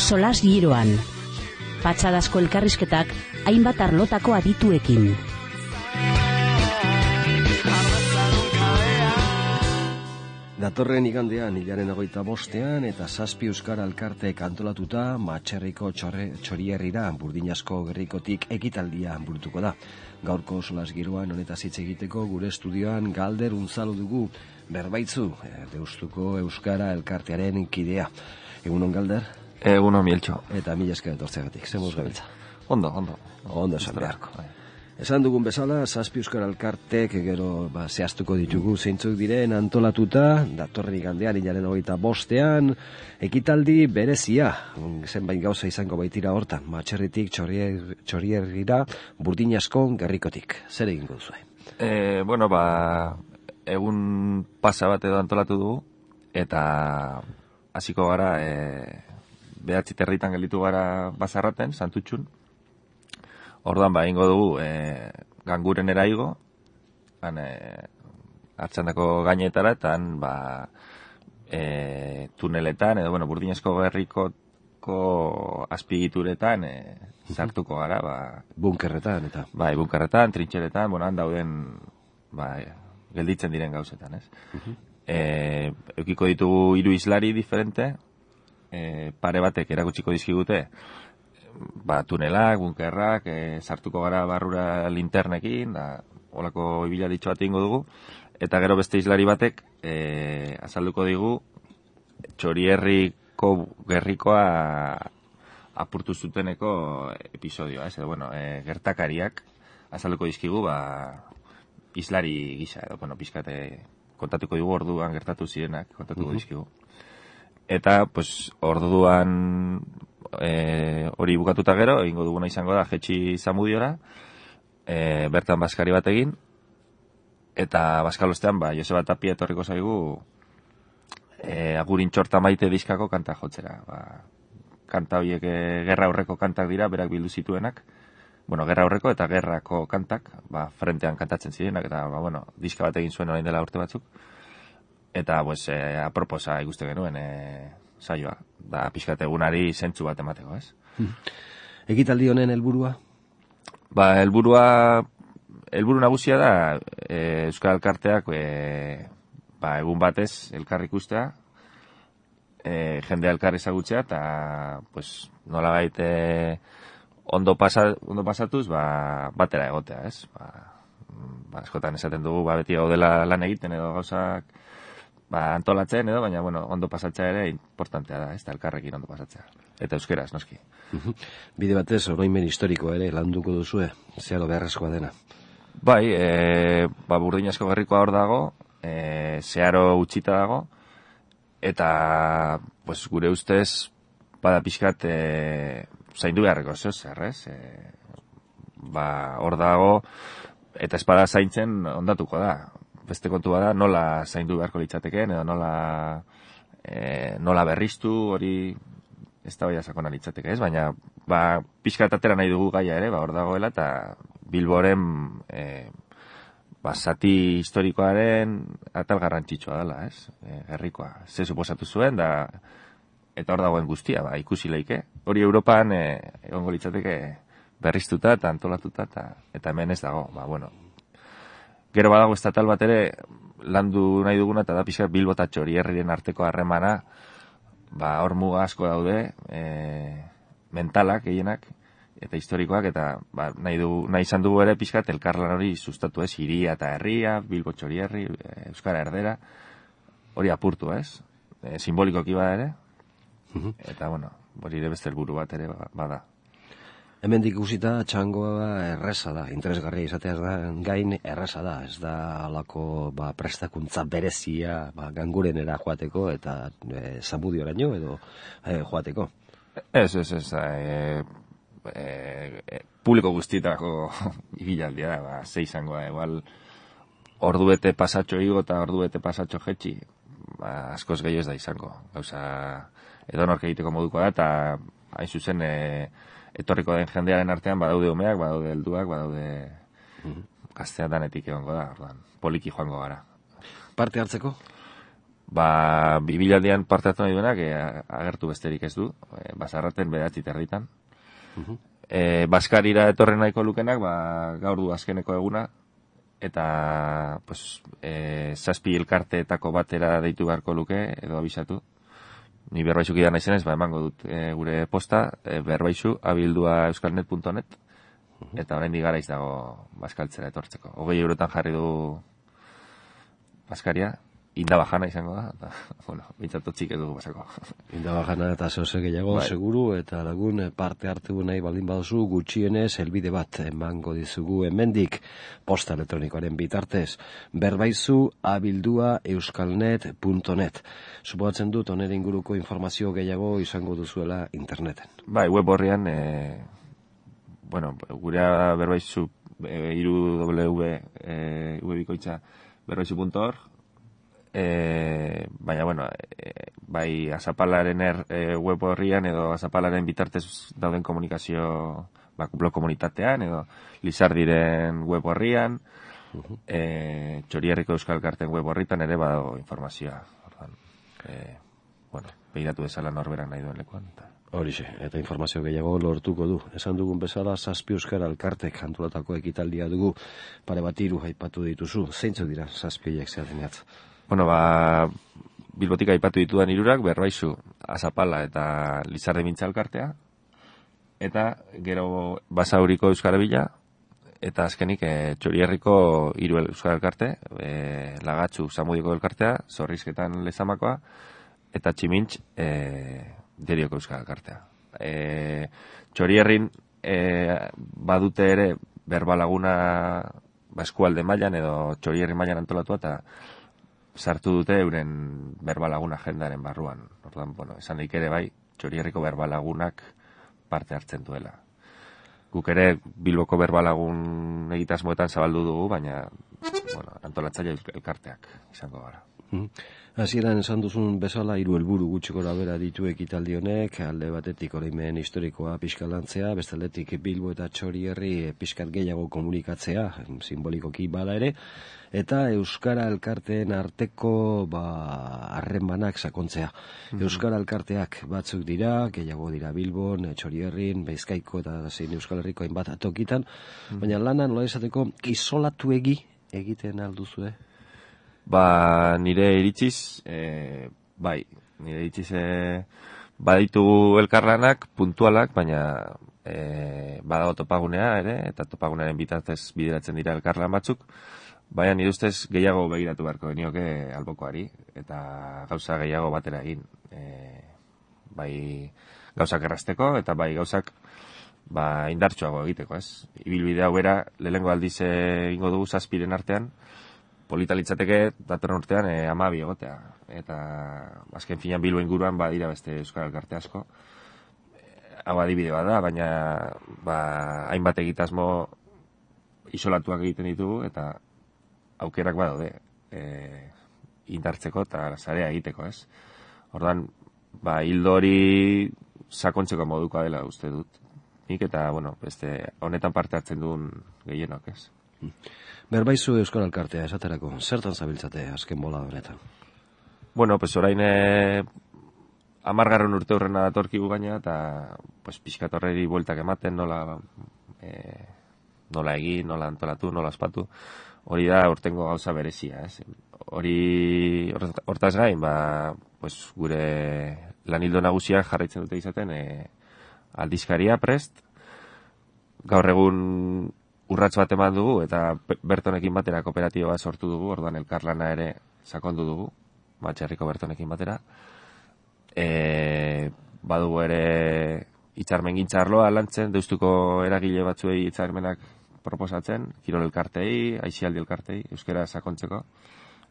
solas giroan. Patxadazko elkarrizketak hainbat arlotako adituekin. Datorren igandean, hilaren 25ean eta 7 euskara elkarteek antolatuta Matxerriko Txorierrira Burdinasko gerrikotik ekitaldia burutuko da. Gaurko solas giroan honetaz hitz egiteko gure estudioan Galder Unzalu dugu, Berbaitzu, Deustuko euskara elkartearen kidea. Egunon Galder? Egunon Mieltxo. Eta mila esker etortzeagatik, zer moduz gabiltza? Ondo esan beharko. Esan dugun bezala, 7 euskara elkartek gero zehaztuko ditugu zeintzuk diren antolatuta, datorren igandean, hilaren 25ean, ekitaldi berezia, zenbait gauza izango baitira hortan, Matxerritik Txorierrira Burdinasko gerrikotik. Zer egingo duzu? Egun pasa bat edo antolatu dugu, eta hasiko gara, 9 territan gelditu gara Bazarraten, Santutxun. Orduan, ingo dugu, Gangurenera igo, hartzandako gainetara, eta tuneletan, edo, Burdinasko gerrikoko azpigituretan sartuko gara, bunkerretan, eta? Bunkerretan, trintxeretan, han dauden, gelditzen diren gauzetan, ez? Eukiko ditugu 3 islari diferente, pare batek erakutsiko dizkigute, tunelak, bunkerrak, sartuko gara barrura linternekin, holako ibilaritxo bat ingo dugu, eta gero beste islari batek azalduko digu Txorierriko gerrikoa apurtu zuteneko episodioa, ez? Gertakariak azalduko dizkigu, islari gisa, edo, pixkate kontatuko digu orduan gertatu zirenak, kontatuko dizkigu. Eta, orduan hori bukatuta gero, egingo duguna izango da Jetxi Zamudiora, bertan baskari bat egin, eta baskalostean, Joseba Tapia etorriko zaigu Agurin txorta maite diskako kanta jotzera. Kanta horiek gerra aurreko kantak dira, berak bildu zituenak, gerra aurreko eta gerrako kantak, frentean kantatzen zirenak, eta, diska bat egin zuen orain dela urte batzuk, eta, aproposa ikuste genuen, saioa, da pixkat egunari zentzu bat emateko, ez? Ekitaldi honen helburua? Helburu nagusia da Euskal Elkarteak egun batez elkar ikustea, jendea elkar ezagutzea, eta nolabait ondo pasatuz batera egotea, ez? Askotan esaten dugu beti gaudela lan egiten edo gauzak antolatzen edo, baina, ondo pasatzea ere importantea da, ez da, elkarrekin ondo pasatzea. Eta euskeraz, noski. Bide batez, oroimen historikoa ere, landuko duzue, zeharo beharrezkoa dena. Burdinasko gerrikoa hor dago, zeharo utxita dago, eta, gure ustez, bada pixkat, zaindu beharreko zer, ez? Hor dago, eta espada zaintzen ondatuko da. Beste kontua da, nola zaindu beharko litzateken, edo nola berriztu, hori ez da baina sakona litzateke, ez? Baina, pixkat atera nahi dugu gaia ere, hor dagoela, eta Bilboren zati historikoaren atal garrantzitsua dela, ez? Gerrikoa, ze suposatu zuen, eta hor dagoen guztia, ikusi leike. Hori Europan egongo litzateke berriztuta eta antolatuta, eta hemen ez dago, Gero badago estatal bat ere landu nahi duguna, eta da pixka Bilbo eta Txorierriren arteko harremana, hor muga asko daude, mentalak, gehienak, eta historikoak, eta nahi izan dugu ere pixka elkarlan hori sustatu, ez? Hiria eta herria, Bilbo Txorierri, Euskara Erdera, hori apurtu, ez? Simbolikoki bada ere, eta hori ere beste helburu bat ere bada. Hemendik ikusita txangoa erreza da, interesgarria izateaz da, gain erreza da, ez da alako prestakuntza berezia Gangurenera joateko eta Zamudioraino edo joateko. Ez, publiko guztietako ibilaldia da, ze izango da, igual ordubete pasatxo igo eta ordubete pasatxo jetxi, askoz gehiago ez da izango, gauza edonork egiteko moduko da, eta hain zuzen etorriko den jendearen artean badaude umeak, badaude helduak, badaude gaztea danetik egongo da, poliki joango gara. Parte hartzeko? 2000aldian parte hartu nahi duenak agertu besterik ez du, Basarraten 9:30. Baskarira etorren nahiko lukenak, gaur du azkeneko eguna, eta pues, 7 elkarteetako batera deitu beharko luke, edo abisatu. Ni Berbaizu kidea naizenez, emango dut gure posta, berbaizu@euskalnet.net, eta oraindik garaiz dago Baskaltzera etortzeko. 20 eurotan jarri du Baskaria, indabajana izango da, eta, bueno, bintzatotzik ez dugu pasako. Indabajana eta zehose gehiago, seguru, eta lagun parte hartu nahi baldin baduzu, gutxienez, helbide bat emango dizugu hemendik posta elektronikoaren bitartez, berbaizu@euskalnet.net. Suposatzen dut, oner inguruko informazio gehiago izango duzuela interneten. Bai, web horrian, gurea berbaizu, www.bikoitza berbaizu.org, baina, bai azapalaren web horrian edo azapalaren bitartez dauden komunikazio blog komunitatean edo Lizardiren web horrian, Txorierriko Euskal Elkarteen web horritan ere badago informazioa. Begiratu bezala norberak nahi duen lekuan. Horixe, eta informazio gehiago lortuko du. Esan dugun bezala, 7 Euskara Elkartek antolatako ekitaldia dugu, pare bat 3 aipatu dituzu. Zeintzuk dira 7 horiek zehatinat? Bilbotik aipatu ditudan 3, Berbaizu, Azapala eta Lizardi Mintza Elkartea, eta gero Basauriko Euskara Bila, eta azkenik Txorierriko 3 Euskara Elkarte, Lagatxu Samudiko Elkartea, Zorrizketan Lezamakoa, eta Tximintx Derioko Euskara Elkartea. Txorierrin badute ere berbalaguna eskualde mailan edo Txorierri mailan antolatua, eta sartu dute euren berbalaguna agendaren barruan. Orduan, esan nik ere bai, Txorierriko berbalagunak parte hartzen duela. Guk ere Bilboko berbalagun egitasmoetan zabaldu dugu, baina antolatzaile elkarteak izango gara. Hasieran esan duzun bezala 3 helburu gutxi gorabehera ditu ekitaldi honek, alde batetik oroimen historikoa pixkalantzea, beste aldetik Bilbo eta Txorierri pixkat gehiago komunikatzea, simbolikoki bada ere, eta Euskara Elkarteen arteko harremanak sakontzea. Euskara Elkarteak batzuk dira, gehiago dira Bilbon, Txorierrin, Bizkaiko eta zein Euskal Herriko hainbat tokitan, baina lana nola esateko isolatuegi egiten alduzue? Nire iritziz, baditu elkarlanak, puntualak, baina badago topagunea ere, eta topagunearen bitartez bideratzen dira elkarlan batzuk, baina nire ustez gehiago begiratu beharko genioke albokoari, eta gauza gehiago batera egin. Bai gauzak errazteko, eta bai gauzak indartsuago egiteko, ez? Ibilbidea bera, lehengo aldiz egingo dugu 7 artean, polita litzateke datorren urtean 12 egotea. Eta azken finean Bilbo inguruan badira beste Euskal Elkarte asko. Hau adibide da, baina hainbat egitasmo isolatuak egiten ditugu, eta aukerak badaude indartzeko eta sarea egiteko, ez? Orduan, hildo hori sakontzeko modukoa dela uste dut. Nik eta, beste honetan parte hartzen duen gehienok, ez? Berbaizu Euskal Elkartea esaterako, zertan zabiltzate azken bola honetan? Orain 10. urte hurrena datorkigu gaina, eta pixkat horreri bueltak ematen, nola egin, nola antolatu, nola ospatu. Hori da urtengo gauza berezia, ez? Hortaz gain, gure lanildo nagusiak jarraitzen dute izaten aldizkaria prest, gaur egun urrats bat eman dugu, eta Bertonekin batera kooperatiba sortu dugu, orduan elkarlana ere sakondu dugu, Txerriko Bertonekin batera. Badugu ere hitzarmengintza arloa lantzen, Deustuko eragile batzuei hitzarmenak proposatzen, kirol elkartei, aisialdi elkartei, euskara sakontzeko,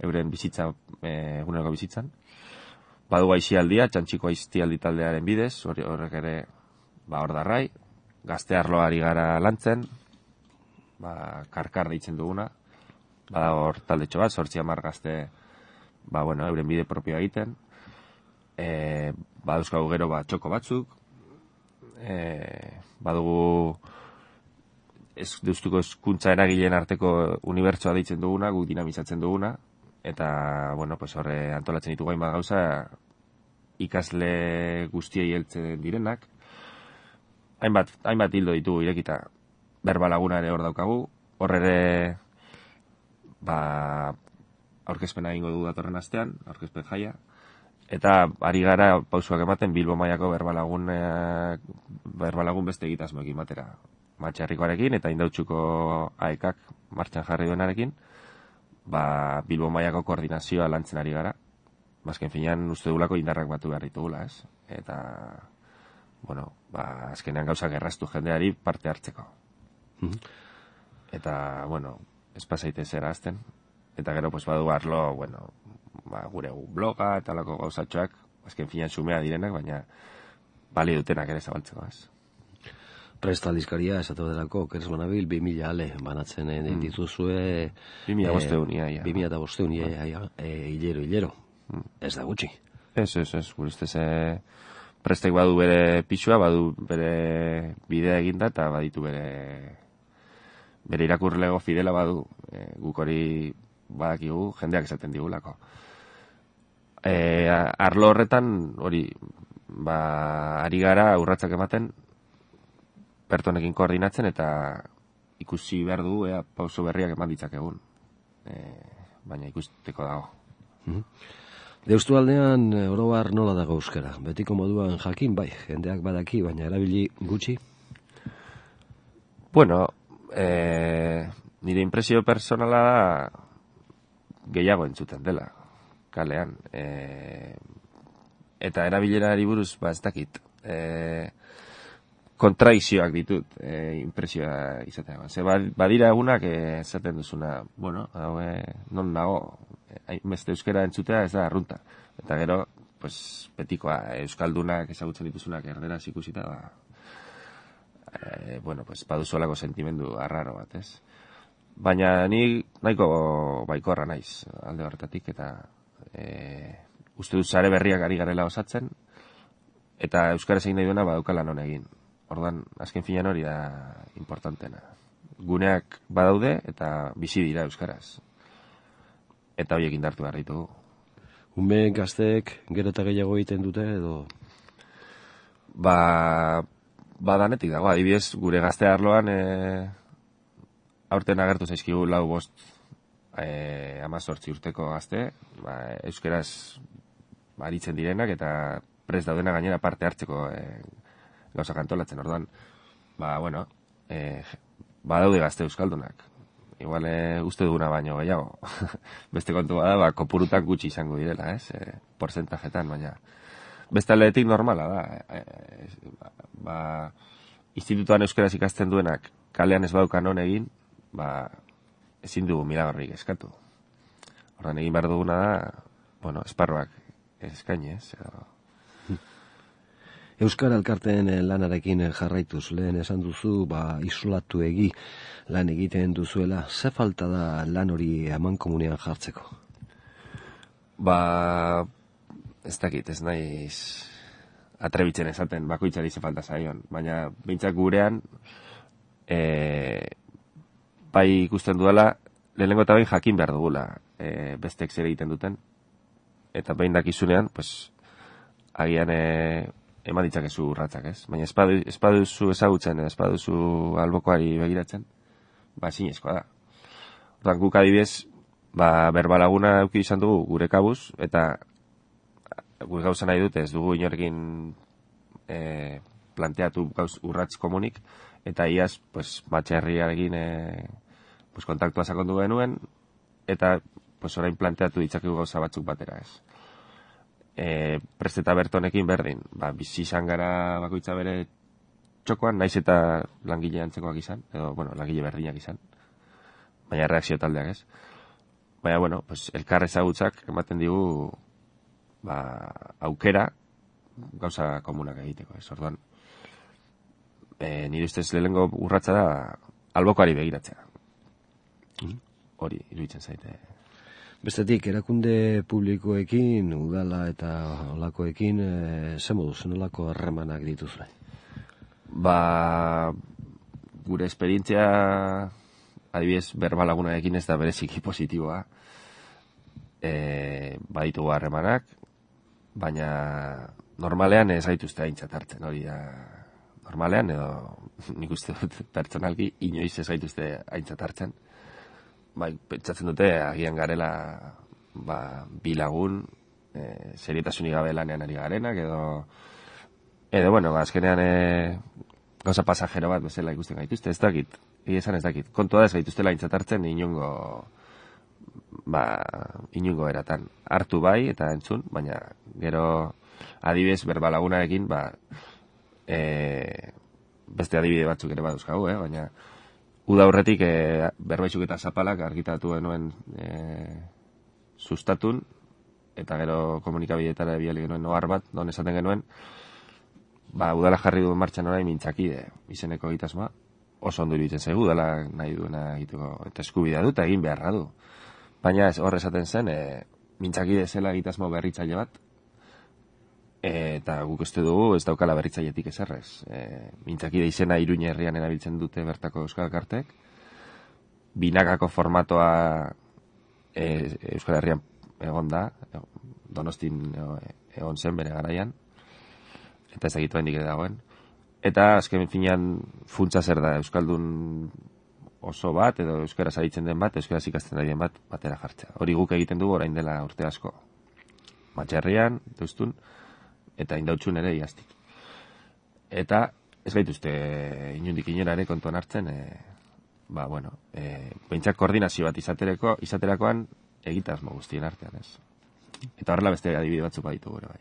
euren bizitza, eguneroko bizitzan. Badugu aisialdia, Txantxiko aisialdi taldearen bidez, horrek ere hor darrai, gazte arloari gara lantzen, karkar deitzen duguna, badago hor taldetxo bat, 8-10 gazte, euren bide propioa egiten, baduzkagu gero txoko batzuk, badugu Deustuko hezkuntza eragileen arteko unibertsoa deitzen duguna, guk dinamizatzen duguna, eta, bueno, pues horre antolatzen ditugu hainbat gauza, ikasle guztiei heltzen direnak, hainbat hildo ditugu irekita, berbalaguna ere hor daukagu, hor ere, aurkezpena egingo du datorren astean, aurkezpen jaia, eta ari gara pausuak ematen Bilbo mailako berbalagun beste egitasmoekin batera. Matxarrikoarekin eta Indautxuko AEKak martxan jarri duenarekin, Bilbo mailako koordinazioa lantzen ari gara. Azken finean uste dugulako indarrak batu behar ditugula, ez? Eta, bueno, azkenean gauzak erraztu jendeari parte hartzeko. Eta, bueno, ez pasaite zera azten. Eta gero, pues, badu arlo, bueno, gure bloga eta lako gauzatxoak, azken finean sumea direnak, baina bali dutenak ere zabaltzeko, ez? Prest aldizkaria, esatu delako, Keres Banabil, 2000 ale banatzen dituzue... 2005 2005 hilero. Ez da gutxi. Ez, gure ustez prestek badu bere pixua, badu bere bidea eginda, eta baditu bere irakurlego fidela badu, guk hori badakigu, jendeak esaten digulako. Arlo horretan, hori, ari gara urratsak ematen, pertonekin koordinatzen, eta ikusi behar du, pauso berriak eman ditzakegun. Baina ikusteko dago. Deustu aldean, orobar nola dago euskara? Betiko moduan jakin, bai, jendeak badaki, baina erabili gutxi? Bueno, nire impresio personala da gehiago entzuten dela, kalean. Eta erabilerari buruz, ez dakit, kontradizioak ditut impresioa izatea. Ze badira egunak esaten duzuna, bueno, non nago, beste euskera entzutea ez da arrunta. Eta gero, pues, betikoa, euskaldunak ezagutzen dituzunak erderaz ikusita, bueno, pues, baduzuelako sentimendu arraro bat, ez? Baina ni nahiko baikorra naiz alde horretatik, eta uste dut sare berriak ari garela osatzen, eta euskaraz egin nahi duena badauka lan egin. Ordan, azken finean hori da importantena. Guneak badaude eta bizi dira euskaraz. Eta horiek indartu behar ditugu. Ume gazteek gero eta gehiago egiten dute edo? Danetik dago. Adibidez, gure gazte arloan aurten agertu zaizkigu 4-5 urteko gazte, euskaraz aritzen direnak eta prest daudena gainera parte hartzeko gauzak antolatzen, orduan, bueno, badaude gazte euskaldunak. Igual uste duguna baino gehiago. Beste kontu bada, kopurutak gutxi izango direla, ez? Porcentajetan, baina. Beste aldeetik normala da. Institutuan euskaraz ikasten duenak kalean ez badukan non egin, ezin dugu miragarrik eskatu. Orduan, egin behar duguna da, bueno, esparruak eskaini, ez? Euskara Elkarteen lanarekin jarraituz, lehen esan duzu, isolatu lan egiten duzuela, ze falta da lan hori amankomunean jartzeko? Ez dakit, ez naiz atrebitzen esaten, bakoitzari ze falta zaion, baina behintzak gurean, bai ikusten duela, lehenengo eta behin jakin behar dugula, bestek zer egiten duten, eta behin dakizunean, agian eman ditzakezu urratzak, ez? Baina ez baduzu ezagutzen, ez baduzu albokoari begiratzen, ezinezkoa da. Orduan, guk adibidez, berbalaguna eduki izan dugu gure kabuz, eta gure gauza nahi dute, ez dugu inorekin planteatu urratz komunik, eta iaz, matxarriarekin kontaktua sakondu genuen, eta orain planteatu ditzakegu gauza batzuk batera, ez? Prest eta bertonekin berdin, bizi izan gara bakoitza bere txokoan, naiz eta langile antzekoak izan, edo, langile berdinak izan, baina reakzio taldeak, ez? Baina, elkar ezagutzak ematen digu aukera gauza komunak egiteko, ez? Orduan, nire ustez lehenengo urratza da albokoari begiratzea. Hori, iruditzen zaite. Bestetik, erakunde publikoekin, udala eta olakoekin, ze moduz, nolako harremanak dituzue? Gure esperientzia, adibidez, berbalagunarekin ez da bereziki positiboa. baditugu harremanak, baina normalean ez gaituzte aintzat hartzen, hori da, normalean edo nik uste dut pertsonalki inoiz ez gaituzte aintzat hartzen. Bai, pentsatzen dute agian garela bi lagun serietasunik gabe lanean ari garenak edo bueno, azkenean gauza pasajero bat bezala ikusten gaituzte, ez dakit, esan ez dakit. Kontua da ez gaituztela aintzat hartzen inongo eratan. Hartu bai eta entzun, baina gero adibidez berbalagunarekin beste adibide batzuk ere baduzkagu, baina uda aurretik berbaizuk eta zapalak argitatu genuen sustatun, eta gero komunikabideetara bidali genuen ohar bat, non esaten genuen, udala jarri duen martxan orain mintzakide izeneko egitasmoa, oso ondo iruditzen zaigu, udala nahi duena egiteko, eta eskubidea du, eta egin beharra du. Baina hor esaten zen, mintzakide zela egitasmo berritzaile bat, eta guk uste dugu ez daukala berritzailetik ezerrez. Mintzakide izena Iruña herrian erabiltzen dute bertako Euskal Elkartek, binakako formatoa Euskal Herrian egon da, Donostin egon zen bere garaian, eta ez egitu hendik ere dagoen. Eta azken finean funtsa zer da, Euskaldun oso bat, edo euskaraz aritzen den bat, euskaraz ikasten ari den bat, batera jartzea. Hori guk egiten dugu orain dela urte asko. Matxerrian, Deustun, eta Indautxun ere iaztik. Eta ez gaituzte inundik inora ere kontuan hartzen, behintzak koordinazio bat izaterakoan egitasmo guztien artean, ez. Eta horrela beste adibide batzuk baditu gure bai.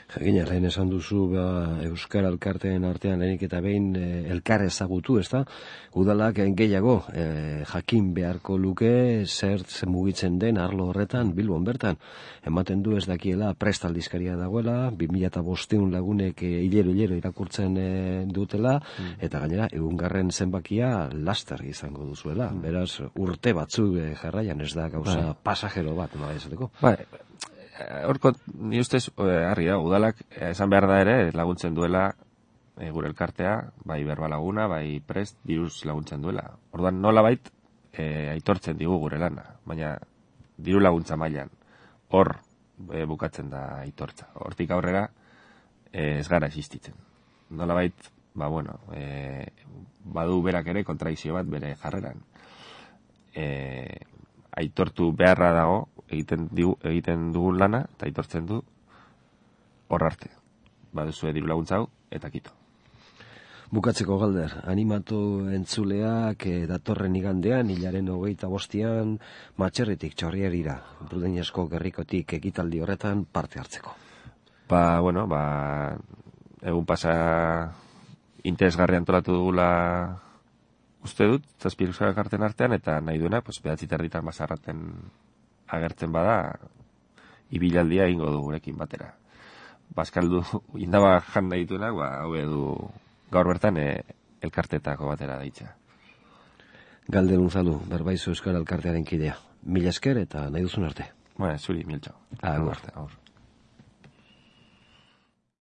Jakina, lehen esan duzu Euskara Elkarteen artean lehenik eta behin elkar ezagutu, ez da? Udalak gehiago jakin beharko luke zer mugitzen den arlo horretan Bilbon bertan. Ematen du ez dakiela prest aldizkaria dagoela, 2500 lagunek hilero irakurtzen dutela, eta gainera egungarren zenbakia laster izango duzuela. Beraz, urte batzuk jarraian ez da gauza pasajero bat, nola esateko? Horko, ni ustez, harri da, udalak esan behar da ere laguntzen duela gure elkartea, bai berbalaguna, bai prest, diruz laguntzen duela. Orduan nolabait aitortzen digu gure lana, baina diru laguntza mailan hor bukatzen da aitortza. Hortik aurrera ez gara existitzen. Nolabait, badu berak ere kontradikzio bat bere jarreran. Aitortu beharra dago, egiten dugun lana, eta aitortzen du hor arte. Baduzue diru laguntza hau, eta kito. Bukatzeko Galder, animatu entzuleak datorren igandean, hilaren 25an, Matxerritik Txorrierira, Burdiñasko gerrikotik ekitaldi horretan parte hartzeko. Egun pasa interesgarri antolatu dugula uste dut, 7 Euskal Elkarteen artean, eta nahi duena, 9:30 Basarraten agertzen bada, ibilaldia egingo du gurekin batera. Bazkaldu, indaba jan nahi dituenak, hau edu gaur bertan elkartetako batera daitza. Galder Unzalu, Berbaizu Euskal Elkartearen kidea. Mila esker eta nahi duzun arte. Zuri, miltxo. Agur.